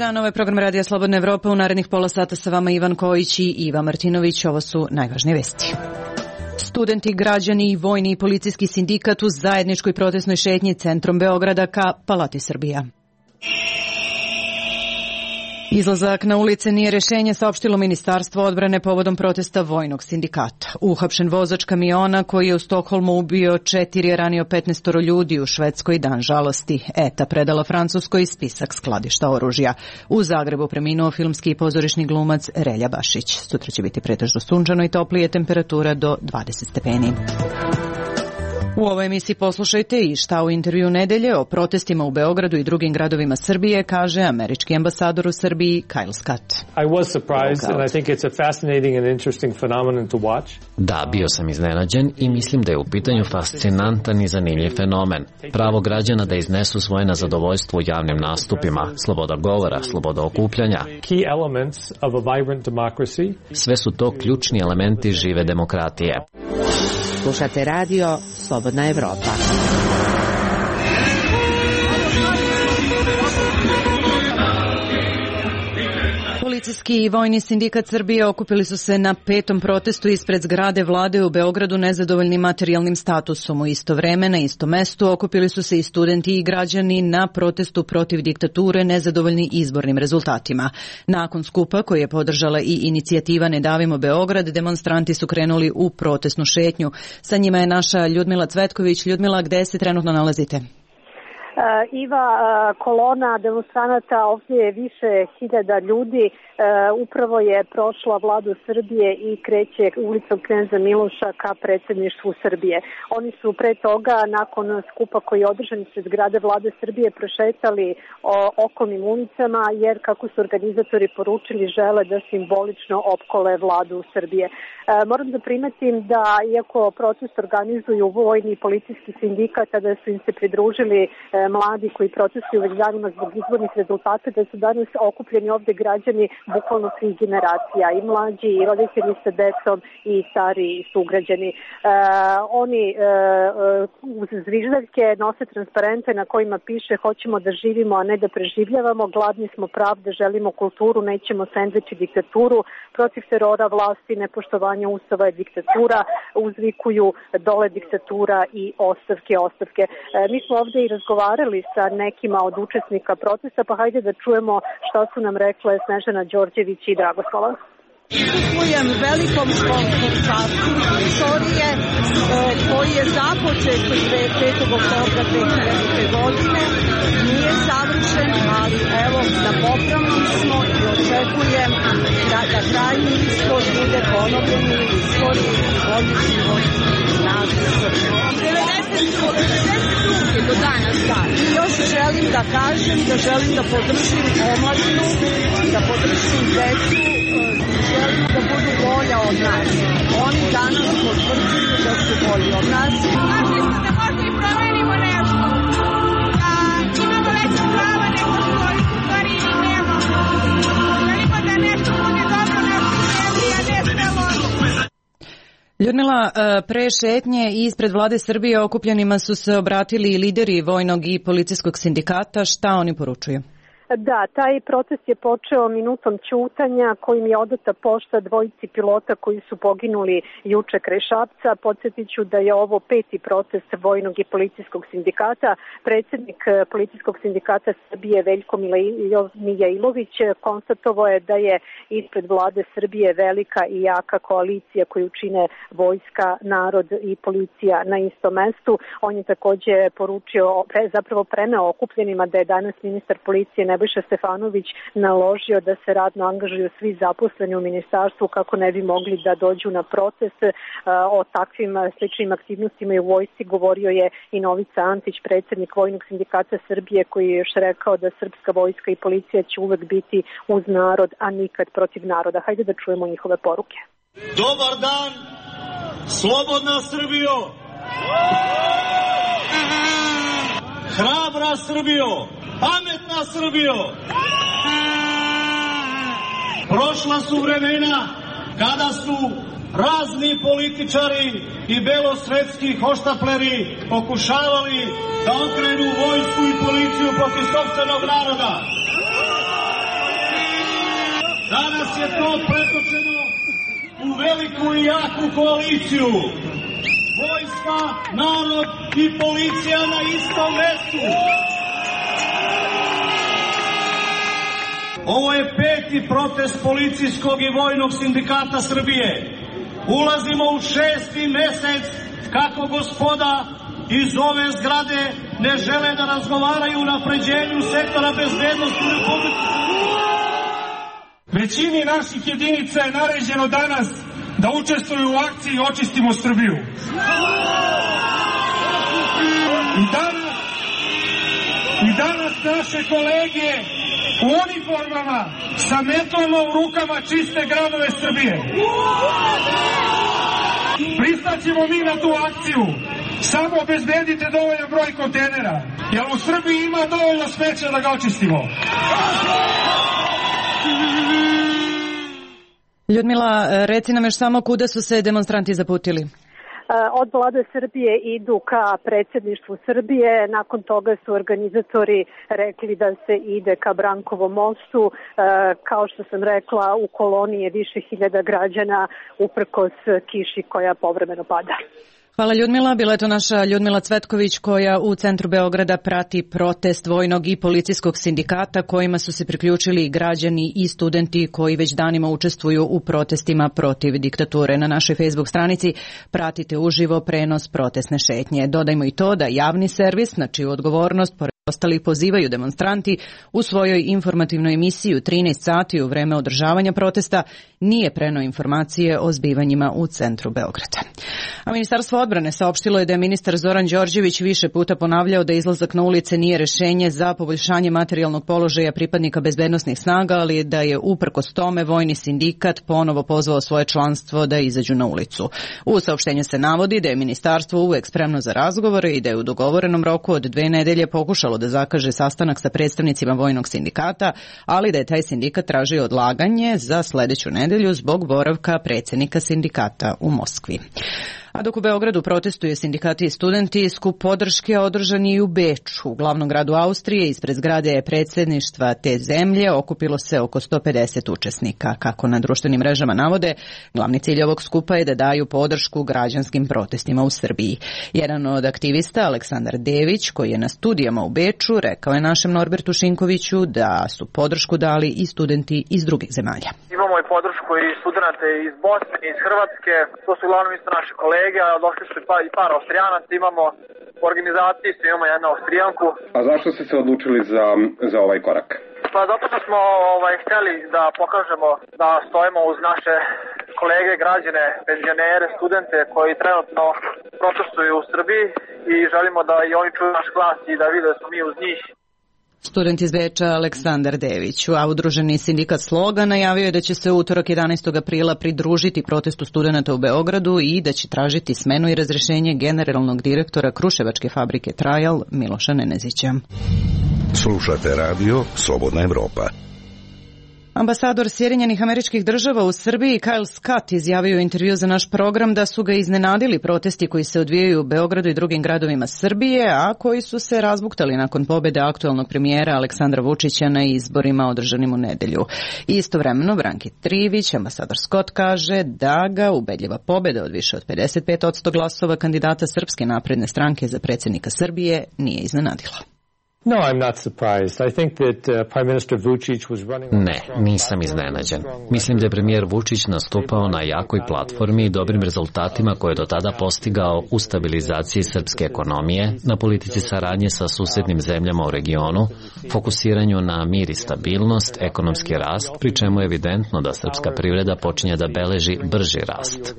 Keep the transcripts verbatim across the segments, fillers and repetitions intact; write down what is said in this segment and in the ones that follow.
dan, ovo je program Radija Slobodna Evropa. U narednih pola sata sa vama Ivan Kojić i Iva Martinović. Ovo su najvažnije vesti. Studenti, građani i vojni i policijski sindikat u zajedničkoj protestnoj šetnji centrom Beograda ka Palati Srbija. Izlazak na ulice nije rešenje, saopštilo Ministarstvo odbrane povodom protesta vojnog sindikata. Uhapšen vozač kamiona koji je u Stokholmu ubio četiri, je ranio petnaestoro ljudi, u Švedskoj dan žalosti. E T A predala Francuskoj spisak skladišta oružja. U Zagrebu preminuo filmski i pozorišni glumac Relja Bašić. Sutra će biti pretežno sunčano i toplije, temperatura do dvadeset stepeni. U ovoj emisiji poslušajte i šta u intervju nedelje o protestima u Beogradu i drugim gradovima Srbije kaže američki ambasador u Srbiji Kyle Scott. I was surprised and I think it's a fascinating and interesting phenomenon to watch. Da, bio sam iznenađen i mislim da je u pitanju fascinantan i zanimljiv fenomen. Pravo građana da iznesu svoje nezadovoljstvo u javnim nastupima, sloboda govora, sloboda okupljanja. Key elements of a vibrant democracy. Sve su to ključni elementi žive demokratije. Slušate radio Slobodna Evropa. Policijski i vojni sindikat Srbije okupili su se na petom protestu ispred zgrade vlade u Beogradu nezadovoljni materijalnim statusom. U isto vreme na istom mestu okupili su se i studenti i građani na protestu protiv diktature nezadovoljni izbornim rezultatima. Nakon skupa koji je podržala i inicijativa Ne davimo Beograd, demonstranti su krenuli u protestnu šetnju. Sa njima je naša Ljudmila Cvetković. Ljudmila, gde se trenutno nalazite? Uh, Iva, uh, kolona demonstranata, ovdje je više hiljada ljudi, uh, upravo je prošla vladu Srbije i kreće ulicom Kneza Miloša ka predsjedništvu Srbije. Oni su pre toga, nakon skupa koji je održan ispred zgrade vlade Srbije, prošetali o, okolnim ulicama, jer kako su organizatori poručili, žele da simbolično opkole vladu Srbije. Uh, moram da primetim da, iako protest organizuju vojni i policijski sindikat, da su im se pridružili uh, mladi koji protestuju već danima zbog izbornih rezultata, da su danas okupljeni ovde građani bukvalno svih generacija, i mlađi, i roditelji sa decom, i stari sugrađani. E, oni e, uz zviždaljke nose transparente na kojima piše hoćemo da živimo, a ne da preživljavamo, gladni smo pravde, želimo kulturu, nećemo sendvič i diktaturu, protiv terora vlasti, nepoštovanja ustava je diktatura, uzvikuju dole diktatura i ostavke, ostavke. E, mi smo ovde i razgovarali sa nekima od učesnika protesta, pa hajde da čujemo šta su nam rekle Snežana Đorđević i Dragoslava. Učestvujem velikom školskom času istorije e, koji je započet petog oktobra dve hiljadite. godine. Nije savršen, ali evo da popravni smo i očekujem da, da krajnji ishod bude ponovljeni u istoriji i bolji život nas devedeset do danas, da. I još želim da kažem da želim da podržim omladinu, da podržim decu, želim da budu bolja od nas. Oni danas potvrđuju da su bolji od nas. Mislimo da možda i promenimo nešto. Da imamo veće prava nego što ih u stvari i nemamo. Želimo da nešto bude dobro našoj zemlji, a ne sve loše. Ljudmila, pre šetnje ispred vlade Srbije okupljenima su se obratili i lideri vojnog i policijskog sindikata. Šta oni poručuju? Da, taj protest je počeo minutom ćutanja kojim je odata pošta dvojici pilota koji su poginuli juče kraj Šapca. Podsjetit ću da je ovo peti protest vojnog i policijskog sindikata. Predsjednik policijskog sindikata Srbije Veljko Mijailović konstatovao je da je ispred vlade Srbije velika i jaka koalicija koju čine vojska, narod i policija na istom mestu. On je takođe poručio, zapravo preneo okupljenima da je danas ministar policije Nebojša Stefanović naložio da se radno angažuju svi zaposleni u ministarstvu kako ne bi mogli da dođu na protest. O takvim sličnim aktivnostima i u vojsci govorio je i Novica Antić, predsjednik Vojnog sindikata Srbije, koji je još rekao da srpska vojska i policija će uvek biti uz narod, a nikad protiv naroda. Hajde da čujemo njihove poruke. Dobar dan, slobodna Srbijo! Hrabra Srbijo! Pametna Srbijo! Prošla su vremena kada su razni političari i belosvetski hoštapleri pokušavali da okrenu vojsku i policiju protiv sopstvenog naroda. Danas je to pretočeno u veliku i jaku koaliciju. Vojska, narod i policija na istom mestu. Ovo je peti protest policijskog i vojnog sindikata Srbije. Ulazimo u šesti mesec kako gospoda iz ove zgrade ne žele da razgovaraju o napređenju sektora bezbednosti u Republici. Većini naših jedinica je naređeno danas da učestvuju u akciji Očistimo Srbiju. I danas, i danas naše kolege u uniformama sa metlama u rukama čiste gradove Srbije. Pristaćemo mi na tu akciju. Samo obezbedite dovoljan broj kontejnera, jer u Srbiji ima dovoljno smeća da ga očistimo. Ljudmila, reci nam još samo kuda su se demonstranti zaputili? Od vlade Srbije idu ka predsjedništvu Srbije, nakon toga su organizatori rekli da se ide ka Brankovom mostu. Kao što sam rekla, u koloni je više hiljada građana uprkos kiši koja povremeno pada. Hvala Ljudmila, bila je to naša Ljudmila Cvetković koja u centru Beograda prati protest vojnog i policijskog sindikata kojima su se priključili i građani i studenti koji već danima učestvuju u protestima protiv diktature. Na našoj Facebook stranici pratite uživo prenos protestne šetnje. Dodajmo i to da javni servis, na čiju odgovornost pored ostalih pozivaju demonstranti u svojoj informativnoj emisiji u trinaest sati u vreme održavanja protesta nije preneo informacije o zbivanjima u centru Beograda. A Ministarstvo odbrane saopštilo je da je ministar Zoran Đorđević više puta ponavljao da izlazak na ulice nije rešenje za poboljšanje materijalnog položaja pripadnika bezbednosnih snaga, ali da je uprkos tome vojni sindikat ponovo pozvao svoje članstvo da izađu na ulicu. U saopštenju se navodi da je ministarstvo uvek spremno za razgovore i da je u dogovorenom roku od dve nedelje pokušalo da zakaže sastanak sa predstavnicima vojnog sindikata, ali da je taj sindikat tražio odlaganje za sledeću nedelju zbog boravka predsjednika sindikata u Moskvi. A dok u Beogradu protestuju sindikati i studenti, skup podrške održan je i u Beču, u glavnom gradu Austrije. Ispred zgrade predsjedništva te zemlje okupilo se oko sto pedeset učesnika. Kako na društvenim mrežama navode, glavni cilj ovog skupa je da daju podršku građanskim protestima u Srbiji. Jedan od aktivista, Aleksandar Dević, koji je na studijama u Beču, rekao je našem Norbertu Šinkoviću da su podršku dali i studenti iz drugih zemalja. Imamo i podršku i studente iz Bosne, iz Hrvatske, to su uglavnom isto naši kolege. Došli su i par Austrijanaca, imamo u organizaciji, imamo jednu Austrijanku. A zašto ste se odlučili za, za ovaj korak? Pa zato što smo ovaj, htjeli da pokažemo da stojimo uz naše kolege, građane, penzionere, studente koji trenutno protestuju u Srbiji i želimo da i oni čuju naš glas i da vide da smo mi uz njih. Student iz Beča Aleksandar Dević, a udruženi sindikat Sloga najavio je da će se utorak jedanaestog aprila pridružiti protestu studenta u Beogradu i da će tražiti smenu i razrešenje generalnog direktora Kruševačke fabrike Trajal Miloša Nenezića. Slušate radio Slobodna Evropa. Ambasador Sjedinjenih Američkih Država u Srbiji Kyle Scott izjavio u intervju za naš program da su ga iznenadili protesti koji se odvijaju u Beogradu i drugim gradovima Srbije, a koji su se razbuktali nakon pobjede aktualnog premijera Aleksandra Vučića na izborima održanim u nedelju. Istovremeno, Branki Trivić, ambasador Scott, kaže da ga ubedljiva pobjeda od više od pedeset pet posto glasova kandidata Srpske napredne stranke za predsjednika Srbije nije iznenadila. No, I'm not surprised. I think that uh, Prime Minister Vučić was running. Ne, nisam iznenađen. Mislim da je premijer Vučić nastupao na jakoj platformi i dobrim rezultatima koje je do tada postigao u stabilizaciji srpske ekonomije, na politici saradnje sa susednim zemljama u regionu, fokusiranju na mir i stabilnost, ekonomski rast, pri čemu je evidentno da srpska privreda počinje da beleži brži rast.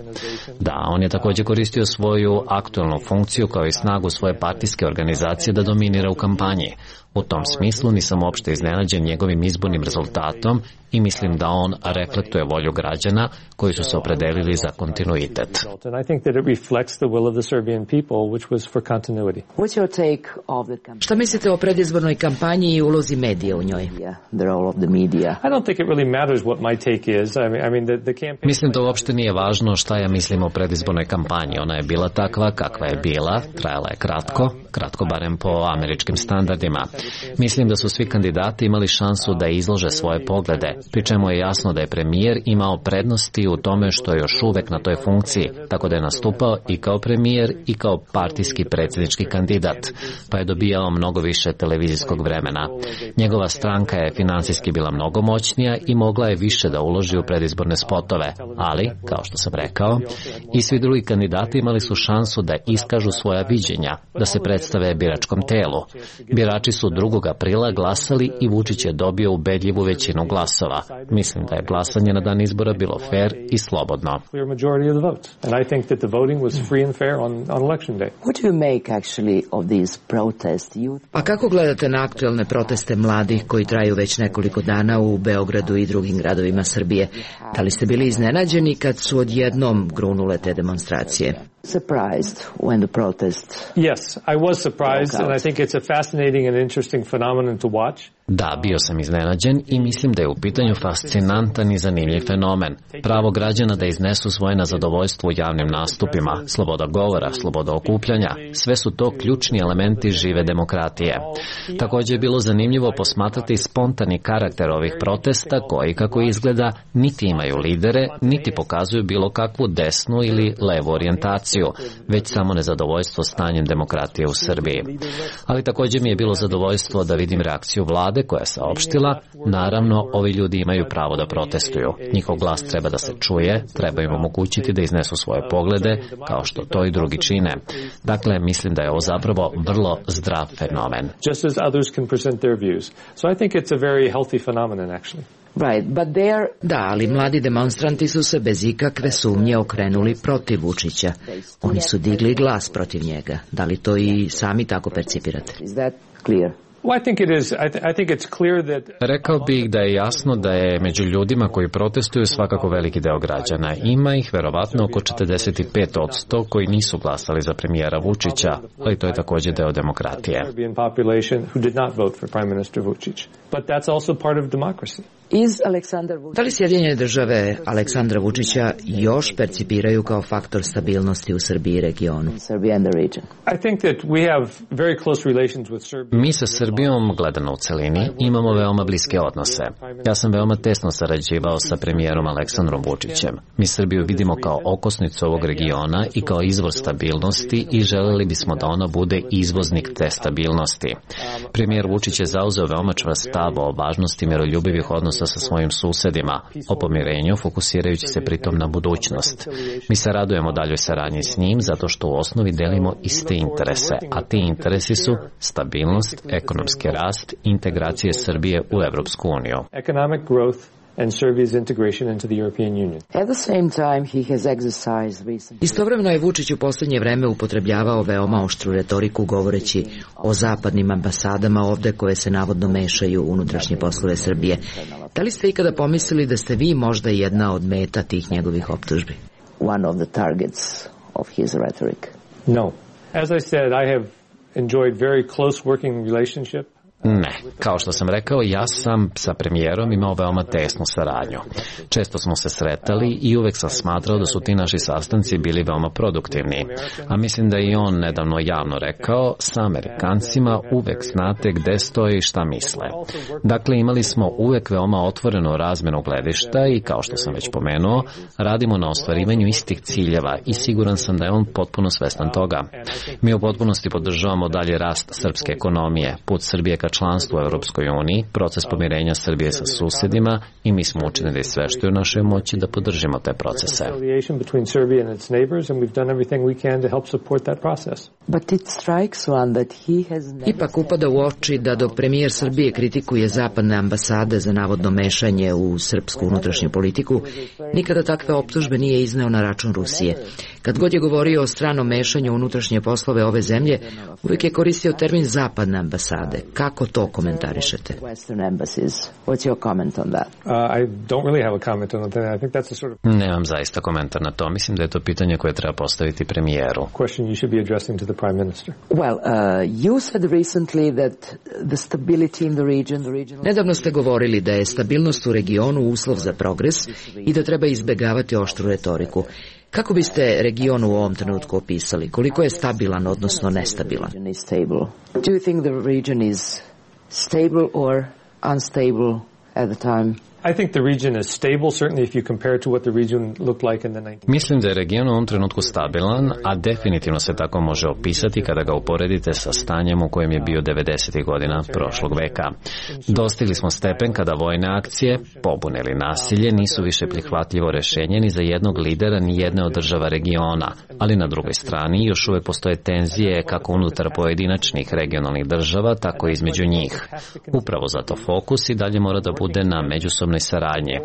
Da, on je također koristio svoju aktualnu funkciju kao i snagu svoje partijske organizacije da dominira u kampanji. U tom smislu nisam uopšte iznenađen njegovim izbornim rezultatom i mislim da on reflektuje volju građana koji su se opredelili za kontinuitet. Šta mislite o predizbornoj kampanji i ulozi medija u njoj? Mislim da uopšte nije važno šta ja mislim o predizbornoj kampanji. Ona je bila takva kakva je bila, trajala je kratko, kratko barem po američkim standardima. Mislim da su svi kandidati imali šansu da izlože svoje poglede, pri čemu je jasno da je premijer imao prednosti u tome što je još uvek na toj funkciji, tako da je nastupao i kao premijer i kao partijski predsjednički kandidat, pa je dobijao mnogo više televizijskog vremena. Njegova stranka je finansijski bila mnogo moćnija i mogla je više da uloži u predizborne spotove, ali, kao što sam rekao, i svi drugi kandidati imali su šansu da iskažu svoja viđenja, da se predstave biračkom telu. Birači su drugog aprila glasali i Vučić je dobio ubedljivu većinu glasova. Mislim da je glasanje na dan izbora bilo fair i slobodno. A kako gledate na aktuelne proteste mladih koji traju već nekoliko dana u Beogradu i drugim gradovima Srbije? Da li ste bili iznenađeni kad su odjednom grunule te demonstracije? Surprised when the protest. Yes, I was surprised and I think it's a fascinating and interesting phenomenon to watch. Da, bio sam iznenađen i mislim da je u pitanju fascinantan i zanimljiv fenomen. Pravo građana da iznesu svoje nezadovoljstvo u javnim nastupima, sloboda govora, sloboda okupljanja, sve su to ključni elementi žive demokratije. Također je bilo zanimljivo posmatrati spontani karakter ovih protesta koji, kako izgleda, niti imaju lidere, niti pokazuju bilo kakvu desnu ili levu orijentaciju, već samo nezadovoljstvo stanjem demokratije u Srbiji. Ali također mi je bilo zadovoljstvo da vidim reakciju vlade koja je saopštila, naravno, ovi ljudi imaju pravo da protestuju. Njihov glas treba da se čuje, treba im omogućiti da iznesu svoje poglede, kao što to i drugi čine. Dakle, mislim da je ovo zapravo vrlo zdrav fenomen. Just as others can present their views. So I think it's a very healthy phenomenon, actually. Right, but there... Da, ali mladi demonstranti su se bez ikakve sumnje okrenuli protiv Vučića. Oni su digli glas protiv njega. Da li to i sami tako percipirate? Is that clear? Rekao bih da je jasno da je među ljudima koji protestuju svakako veliki deo građana. Ima ih verovatno oko četrdeset pet posto koji nisu glasali za premijera Vučića, ali to je također deo demokratije. Da li Sjedinjene države Aleksandra Vučića još percipiraju kao faktor stabilnosti u Srbiji i regionu? Mi sa Srbijom, gledano u celini, imamo veoma bliske odnose. Ja sam veoma tesno sarađivao sa premijerom Aleksandrom Vučićem. Mi Srbiju vidimo kao okosnicu ovog regiona i kao izvor stabilnosti i želeli bismo da ona bude izvoznik te stabilnosti. Premijer Vučić je zauzeo veoma čvrst stav o važnosti miroljubivih odnosa sa svojim susedima, o pomirenju, fokusirajući se pritom na budućnost. Mi se radujemo daljoj saradnji s njim zato što u osnovi delimo iste interese, a ti interesi su stabilnost, ekonomski rast, integracije Srbije u Evropsku uniju. Economic growth and Serbia's integration into the European Union. At the same time, he has exercised recently. Istovremeno je Vučić u posljednje vreme upotrebljavao veoma oštru retoriku govoreći o zapadnim ambasadama ovde koje se navodno mešaju u unutrašnje poslove Srbije. Da li ste ikada pomislili da ste vi možda jedna od meta tih njegovih optužbi? One of the targets of his rhetoric. No. As I said, I have enjoyed very close working relationship. Ne, kao što sam rekao, ja sam sa premijerom imao veoma tesnu saradnju. Često smo se sretali i uvek sam smatrao da su ti naši sastanci bili veoma produktivni. A mislim da je i on nedavno javno rekao, sa Amerikancima uvek znate gde stoje i šta misle. Dakle, imali smo uvek veoma otvorenu razmenu gledišta i, kao što sam već pomenuo, radimo na ostvarivanju istih ciljeva i siguran sam da je on potpuno svestan toga. Mi u potpunosti podržavamo dalje rast srpske ekonomije, put Srbije ka članstvu u Europskoj uniji, proces pomirenja Srbije sa susedima i mi smo učinili sve što je u našoj moći da podržimo te procese. Ipak upada u oči da dok premijer Srbije kritikuje zapadne ambasade za navodno mešanje u srpsku unutrašnju politiku, nikada takve optužbe nije izneo na račun Rusije. Kad god je govorio o stranom mešanju u unutrašnje poslove ove zemlje, uvijek je koristio termin zapadne ambasade. Kako to komentarišete? Nemam zaista komentar na to. Mislim da je to pitanje koje treba postaviti premijeru. Nedavno ste govorili da je stabilnost u regionu uslov za progres i da treba izbegavati oštru retoriku. Kako biste region u ovom trenutku opisali? Koliko je stabilan, odnosno nestabilan? stable or unstable at the time? I think the region is stable, certainly if you compare to what the region looked like in the nineties. Mislim da je region u ovom trenutku stabilan, a definitivno se tako može opisati kada ga uporedite sa stanjem u kojem je bio devedesetih godina prošlog veka. Dostigli smo stepen kada vojne akcije, pobune ili nasilje nisu više prihvatljivo rešenje ni za jednog lidera ni jedne od država regiona, ali na drugoj strani još uvek postoje tenzije kako unutar pojedinačnih regionalnih država, tako i između njih. Upravo zato fokus i dalje mora da bude na međusobnoj saradnje.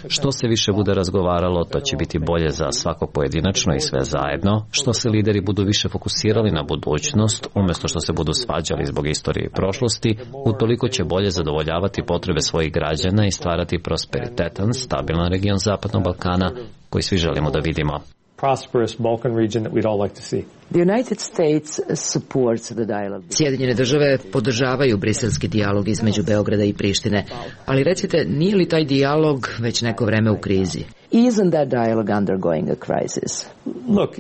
Što se više bude razgovaralo, to će biti bolje za svako pojedinačno i sve zajedno. Što se lideri budu više fokusirali na budućnost, umjesto što se budu svađali zbog istorije i prošlosti, utoliko će bolje zadovoljavati potrebe svojih građana i stvarati prosperitetan, stabilan region Zapadnog Balkana koji svi želimo da vidimo. Prosperous Balkan region that we'd all like to see. The United States supports the dialogue. Sjedinjene države podržavaju briselski dijalog između Beograda i Prištine, ali recite, nije li taj dijalog već neko vreme u krizi? Isn't that dialogue undergoing a crisis? Look,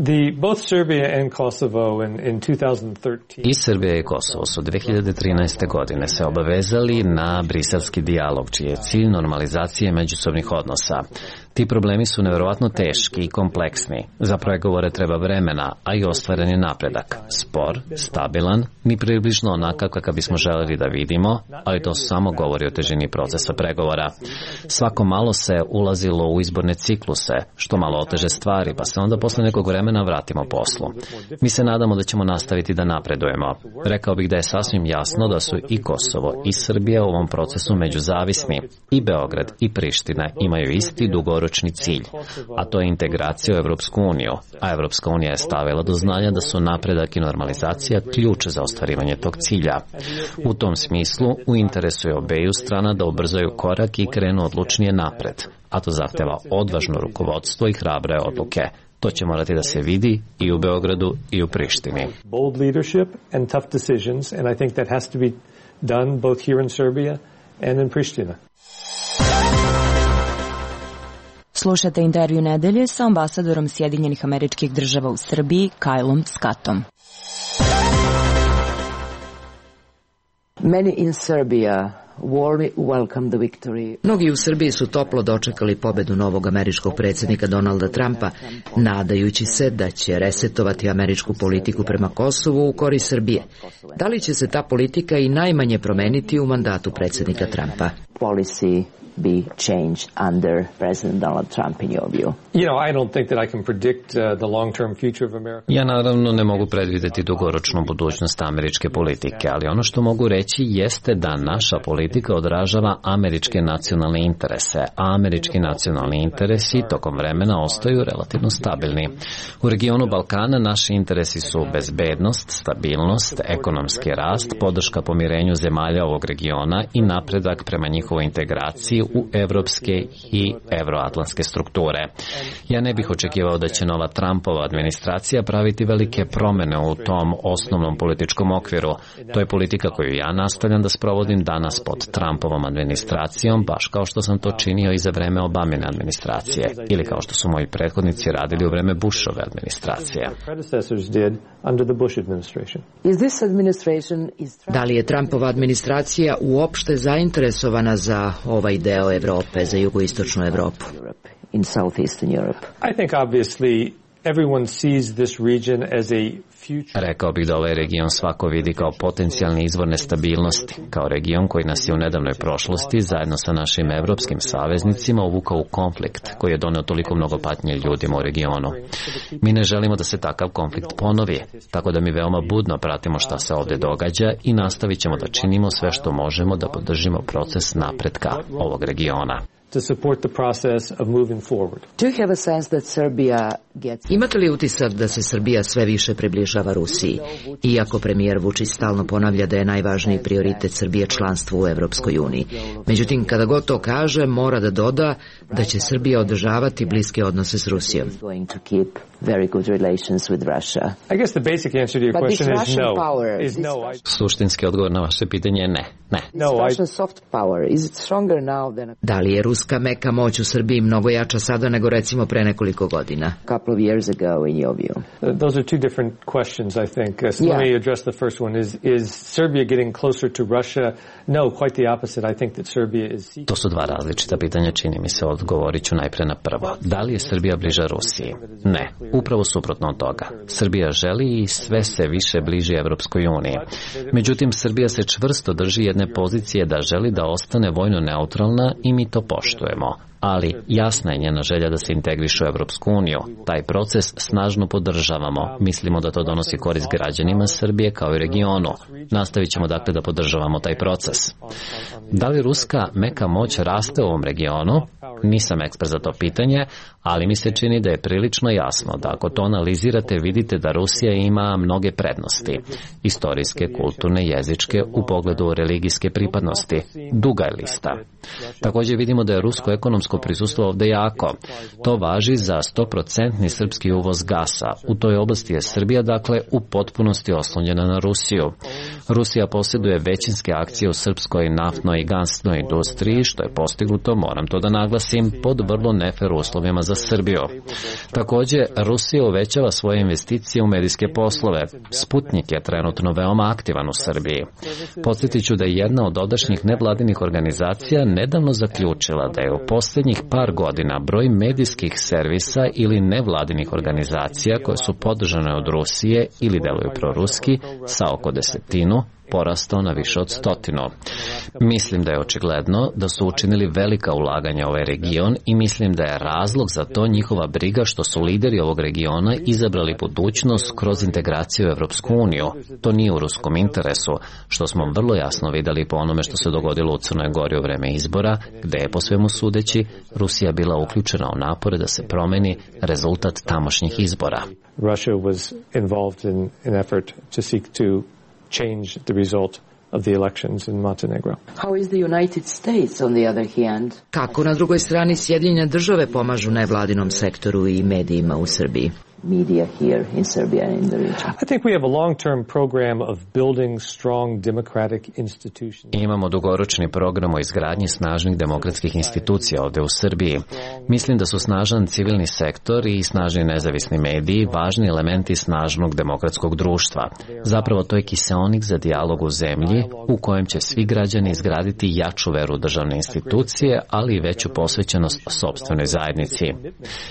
the both Serbia and Kosovo in, in two thousand thirteen. I Srbija i Kosovo su dve hiljade trinaeste. godine se obavezali na briselski dijalog, čiji je cilj normalizacije međusobnih odnosa. Ti problemi su neverovatno teški i kompleksni. Za pregovore treba vremena, a i ostvaren je napredak. Spor, stabilan, ni približno onakav kakav bismo želeli da vidimo, ali to samo govori o težini procesa pregovora. Svako malo se ulazilo u izborne cikluse, što malo oteže stvari, pa se onda posle nekog vremena vratimo poslu. Mi se nadamo da ćemo nastaviti da napredujemo. Rekao bih da je sasvim jasno da su i Kosovo i Srbija u ovom procesu međuzavisni. I Beograd i Priština imaju isti dugoročni cilj, a to je integracija u Evropsku uniju, a Evropska unija je stavila do znanja da su napredak i normalizacija ključ za ostvarivanje tog cilja. U tom smislu, u interesu je obeju strana da ubrzaju korak i krenu odlučnije napred, a to zahteva odvažno rukovodstvo i hrabre odluke. To će morati da se vidi i u Beogradu i u Prištini. Bold leadership and tough decisions, and I think that has to be done both here in Serbia and in Pristina. Slušate intervju nedelje sa ambasadorom Sjedinjenih Američkih Država u Srbiji, Kylom Scottom. Many in Serbia warmly welcomed the victory. Mnogi u Srbiji su toplo dočekali pobedu novog američkog predsjednika Donalda Trumpa, nadajući se da će resetovati američku politiku prema Kosovu u korist Srbije. Da li će se ta politika i najmanje promeniti u mandatu predsjednika Trumpa? Policy be changed under President Donald Trump in your view? You know, I don't think that I can predict uh, the long-term future of America. Ja naravno ne mogu predvideti dugoročnu budućnost američke politike, ali ono što mogu reći jeste da naša politika odražava američke nacionalne interese, a američki nacionalni interesi tokom vremena ostaju relativno stabilni. U regionu Balkana naši interesi su bezbednost, stabilnost, ekonomski rast, podrška pomirenju zemalja ovog regiona i napredak prema njihovoj integraciji u evropske i evroatlantske strukture. Ja ne bih očekivao da će nova Trumpova administracija praviti velike promene u tom osnovnom političkom okviru. To je politika koju ja nastavljam da sprovodim danas pod Trumpovom administracijom, baš kao što sam to činio i za vreme Obamine administracije, ili kao što su moji prethodnici radili u vreme Bushove administracije. Da li je Trumpova administracija uopšte zainteresovana za ovaj deo Evrope, za jugoistočnu Evropu? In southeastern Europe. I think obviously everyone sees this region as a future. Rekao bih da ovaj region svako vidi kao potencijalni izvor nestabilnosti, kao region koji nas je u nedavnoj prošlosti zajedno sa našim evropskim saveznicima uvukao u konflikt koji je doneo toliko mnogo patnje ljudima u regionu. Mi ne želimo da se takav konflikt ponovi, tako da mi veoma budno pratimo šta se ovdje događa i nastavit ćemo da činimo sve što možemo da podržimo proces napretka ovog regiona. To support the process of moving forward. Do you have a sense that Serbia gets... Imate li utisak da se Srbija sve više približava Rusiji? Iako premijer Vučić stalno ponavlja da je najvažniji prioritet Srbije članstvo u Evropskoj uniji. Međutim, kada god to kaže, mora da doda da će Srbija održavati bliske odnose s Rusijom. Going to keep very good relations with Russia. I guess the basic answer to your But question this is Russian no. Power, Is this no. Russian... Suštinski odgovor na vaše pitanje je ne. Ne. No, this Russian I... soft power, is it stronger now than... Da li je ruska meka moć u Srbiji mnogo jača sada nego recimo pre nekoliko godina? A couple of years ago in your view. Uh, those are two different questions, I think. Uh, so yeah. Let me address the first one. Is is Serbia getting closer to Russia? No, quite the opposite. I think that Serbia is... To su dva različita pitanja, čini mi se. Odgovorit ću najpre na prvo. Da li je Srbija bliža Rusiji? Ne, upravo suprotno od toga. Srbija želi i sve se više bliži Evropskoj uniji. Međutim, Srbija se čvrsto drži jedne pozicije da želi da ostane vojno neutralna i mi to poštujemo. Ali jasna je njena želja da se integriše u Evropsku uniju. Taj proces snažno podržavamo. Mislimo da to donosi korist građanima Srbije kao i regionu. Nastavit ćemo dakle da podržavamo taj proces. Da li ruska meka moć raste u ovom regionu? Nisam ekspert za to pitanje, ali mi se čini da je prilično jasno da ako to analizirate vidite da Rusija ima mnoge prednosti. Istorijske, kulturne, jezičke, u pogledu religijske pripadnosti. Duga je lista. Također vidimo da je rusko ekonomsko prisustvo ovde jako. To važi za sto posto srpski uvoz gasa. U toj oblasti je Srbija, dakle, u potpunosti oslonjena na Rusiju. Rusija posjeduje većinske akcije u srpskoj naftnoj i gasnoj industriji, što je postignuto, moram to da naglasim, pod vrlo nefer uslovima za Srbiju. Također, Rusija uvećava svoje investicije u medijske poslove. Sputnik je trenutno veoma aktivan u Srbiji. Podsjetit ću da je jedna od odašnjih nevladinih organizacija nedavno zaključila da je u posljednjih par godina broj medijskih servisa ili nevladinih organizacija koje su podržane od Rusije ili deluju proruski sa oko desetinu porastao na više od stotinu. Mislim da je očigledno da su učinili velika ulaganja u ovaj region i mislim da je razlog za to njihova briga što su lideri ovog regiona izabrali budućnost kroz integraciju u Evropsku uniju. To nije u ruskom interesu, što smo vrlo jasno vidjeli po onome što se dogodilo u Crnoj Gori u vreme izbora, gde je po svemu sudeći Rusija bila uključena u napore da se promeni rezultat tamošnjih izbora. Russia was involved in an effort to seek to change the result of the elections in Montenegro. How is the United States on the other hand? Kako na drugoj strani Sjedinjene države pomažu nevladinom sektoru i medijima u Srbiji? Media here in Serbia and in the region. I think we have a long-term program of building strong democratic institutions. Imamo dugoročni program o izgradnji snažnih demokratskih institucija ovdje u Srbiji. Mislim da su snažan civilni sektor i snažni nezavisni mediji važni elementi snažnog demokratskog društva. Zapravo to je kiseonik za dijalog u zemlji u kojem će svi građani izgraditi jaču veru u državne institucije, ali i veću posvećenost sopstvenoj zajednici.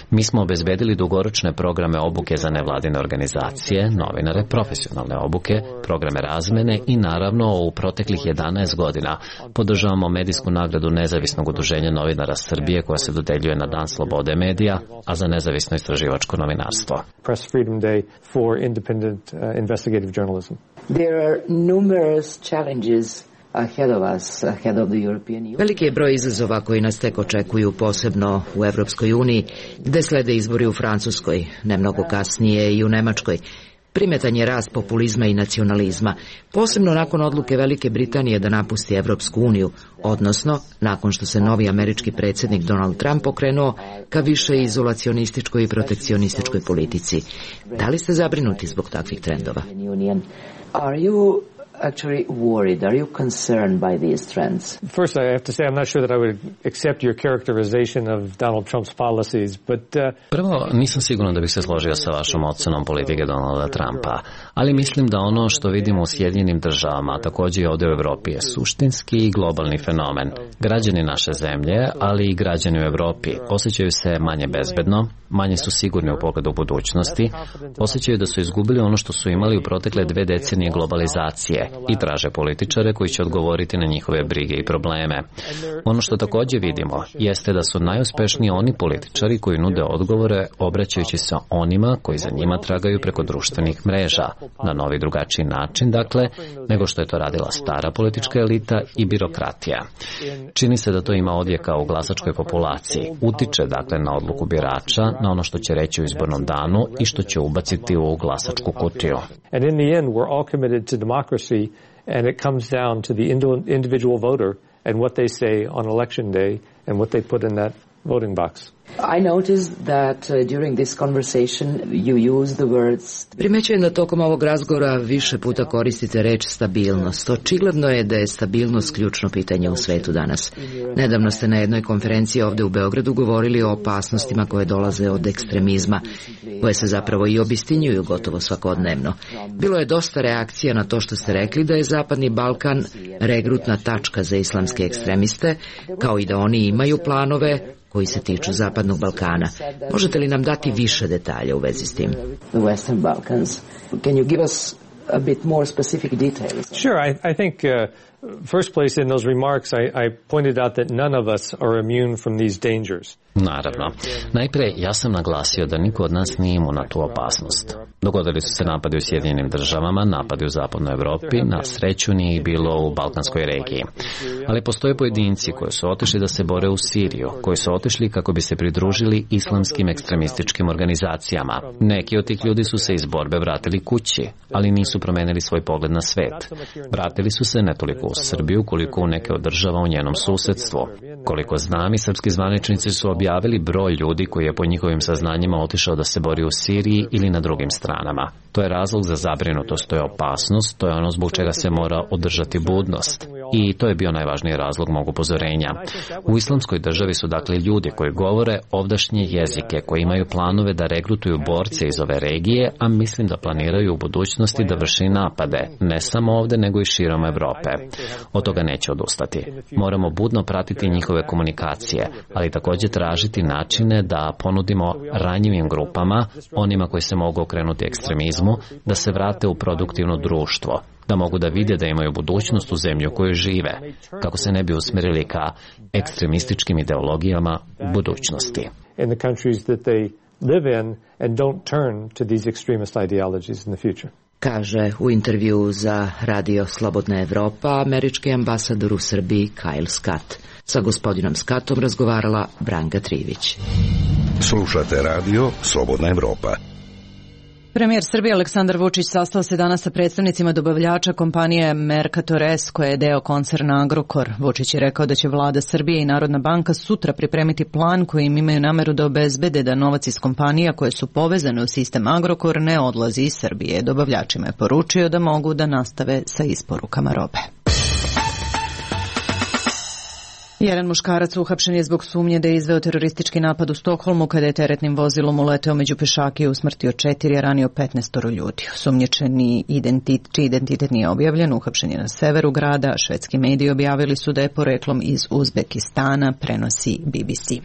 Mi smo obezbedili dugoročne programe obuke za nevladine organizacije, novinare, profesionalne obuke, programe razmene i naravno u proteklih jedanaest godina podržavamo medijsku nagradu Nezavisnog udruženja novinara Srbije koja se dodeljuje na Dan slobode medija, a za nezavisno istraživačko novinarstvo. Press Freedom Day for independent uh, investigative journalism. There are numerous challenges ahead of us, ahead of the European Union. Veliki je broj izazova koji nas tek očekuju, posebno u Evropskoj uniji, gde slede izbori u Francuskoj, ne mnogo kasnije i u Nemačkoj. Primetan je rast populizma i nacionalizma, posebno nakon odluke Velike Britanije da napusti Evropsku uniju, odnosno nakon što se novi američki predsjednik Donald Trump okrenuo ka više izolacionističkoj i protekcionističkoj politici. Da li ste zabrinuti zbog takvih trendova? Are you actually worried? Are you concerned by these trends? First, I have to say I'm not sure that I would accept your characterization of Donald Trump's policies, but uh... Prvo, nisam siguran da bih se složio sa vašom ocenom politike Donalda Trumpa, ali mislim da ono što vidimo u Sjedinjenim državama, također i ovdje u Evropi, je suštinski i globalni fenomen. Građani naše zemlje, ali i građani u Evropi osjećaju se manje bezbedno, manje su sigurni u pogledu budućnosti, osjećaju da su izgubili ono što su imali u protekle dve decenije globalizacije i traže političare koji će odgovoriti na njihove brige i probleme. Ono što također vidimo jeste da su najuspešniji oni političari koji nude odgovore obraćajući se onima koji za njima tragaju preko društvenih mreža, na novi drugačiji način, dakle, nego što je to radila stara politička elita i birokratija. Čini se da to ima odjeka u glasačkoj populaciji, utiče dakle na odluku birača, na ono što će reći u izbornom danu i što će ubaciti u glasačku kutiju. And in the end, we're all committed to democracy, and it comes down to the individual voter and what they say on election day and what they put in that voting box. I noticed that uh, during this conversation you use the words... Primećujem da tokom ovog razgovora više puta koristite reč stabilnost. Očigledno je da je stabilnost ključno pitanje u svetu danas. Nedavno ste na jednoj konferenciji ovde u Beogradu govorili o opasnostima koje dolaze od ekstremizma, koje se zapravo i obistinjuju gotovo svakodnevno. Bilo je dosta reakcija na to što ste rekli da je Zapadni Balkan regrutna tačka za islamske ekstremiste, kao i da oni imaju planove koji se tiču Zapadnog Balkana. Možete li nam dati više detalja u vezi s tim? The Western Balkans. Can you give us a bit more specific details? Sure, I, I think uh, first place in those remarks I, I pointed out that none of us are immune from these dangers. Naravno. Najpre, ja sam naglasio da niko od nas nije imun na tu opasnost. Dogodili su se napadi u Sjedinjenim državama, napadi u Zapadnoj Evropi, na sreću nije bilo u Balkanskoj regiji. Ali postoje pojedinci koji su otišli da se bore u Siriju, koji su otišli kako bi se pridružili islamskim ekstremističkim organizacijama. Neki od tih ljudi su se iz borbe vratili kući, ali nisu promenili svoj pogled na svet. Vratili su se ne toliko u Srbiju, koliko u neke od država u njenom susedstvu. Koliko znam, i srpski zvaničnici su objavili broj ljudi koji je po njihovim saznanjima otišao da se bori u Siriji ili na drugim stranama. To je razlog za zabrinutost, to je opasnost, to je ono zbog čega se mora održati budnost. I to je bio najvažniji razlog mog upozorenja. U islamskoj državi su dakle ljudi koji govore ovdašnje jezike, koji imaju planove da regrutuju borce iz ove regije, a mislim da planiraju u budućnosti da vrši napade, ne samo ovde nego i širom Evrope. Od toga neće odustati. Moramo budno pratiti njihove komunikacije, ali također tražiti načine da ponudimo ranjivim grupama, onima koji se mogu okrenuti ekstremizmu, da se vrate u produktivno društvo, da mogu da vide da imaju budućnost u zemlji u kojoj žive, kako se ne bi usmerili ka ekstremističkim ideologijama u budućnosti. Kaže u intervju za Radio Slobodna Evropa američki ambasador u Srbiji Kyle Scott. Sa gospodinom Scottom razgovarala Branka Trivić. Slušate Radio Slobodna Evropa. Premijer Srbije Aleksandar Vučić sastao se danas sa predstavnicima dobavljača kompanije Mercator S, koja je deo koncerna Agrokor. Vučić je rekao da će vlada Srbije i Narodna banka sutra pripremiti plan kojim imaju nameru da obezbede da novac iz kompanija koje su povezane u sistem Agrokor ne odlazi iz Srbije. Dobavljačima je poručio da mogu da nastave sa isporukama robe. Jedan muškarac uhapšen je zbog sumnje da je izveo teroristički napad u Stokholmu kada je teretnim vozilom uleteo među pešake i usmrtio četiri, a ranio petnaestoro ljudi. Osumnjičeni identitet, čiji identitet nije objavljen, uhapšen je na severu grada, a švedski mediji objavili su da je poreklom iz Uzbekistana, prenosi B B C.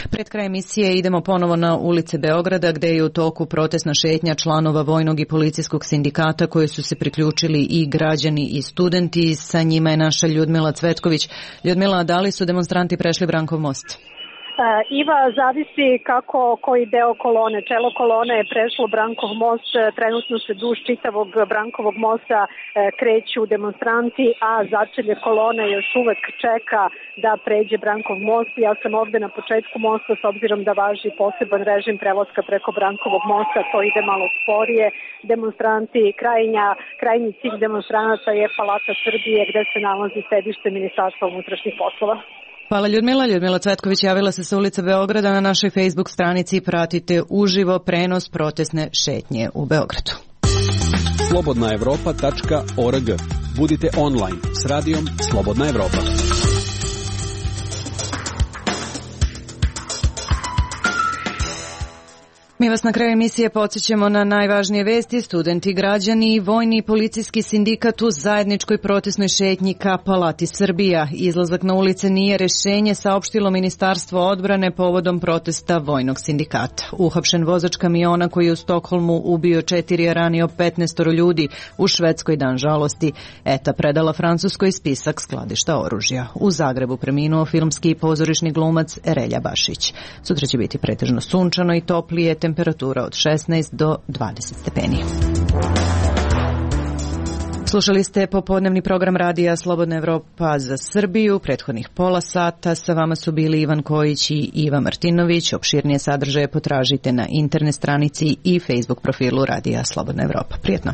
Pred kraj emisije idemo ponovo na ulice Beograda, gde je u toku protestna šetnja članova vojnog i policijskog sindikata koji su se priključili i građani i studenti. Sa njima je naša Ljudmila Cvetković. Ljudmila, da li su demonstranti prešli Brankov most? Iva, zavisi kako koji deo kolone. Čelo kolone je prešlo Brankov most, trenutno se duž čitavog Brankovog mosta kreću demonstranti, a začelje kolone još uvek čeka da pređe Brankov most. Ja sam ovde na početku mosta, s obzirom da važi poseban režim prelaska preko Brankovog mosta, to ide malo sporije. Demonstranti, krajnja, krajnji cilj demonstranata je Palata Srbije, gde se nalazi sedište Ministarstva unutrašnjih poslova. Hvala Ljudmila. Ljudmila Cvetković javila se sa ulice Beograda. Na našoj Facebook stranici pratite uživo prenos protestne šetnje u Beogradu. slobodna evropa tačka org. Budite online s radijom Slobodna Evropa. Mi vas na kraju emisije podsjećamo na najvažnije vesti. Studenti, građani i vojni i policijski sindikat u zajedničkoj protestnoj šetnji ka Palati Srbija. Izlazak na ulice nije rešenje, saopštilo Ministarstvo odbrane povodom protesta vojnog sindikata. Uhapšen vozač kamiona koji je u Stokholmu ubio četiri, a ranio petnaestoro ljudi, u Švedskoj dan žalosti. E T A predala Francuskoj spisak skladišta oružja. U Zagrebu preminuo filmski i pozorišni glumac Relja Bašić. Sutra će biti pretežno sunčano i toplije, temperatura od šesnaest do dvadeset stepeni. Slušali ste popodnevni program radija Slobodna Evropa za Srbiju. Prethodnih pola sata sa vama su bili Ivan Kojić i Iva Martinović. Opširnije sadržaje potražite na internet stranici i Facebook profilu radija Slobodna Evropa. Prijetno.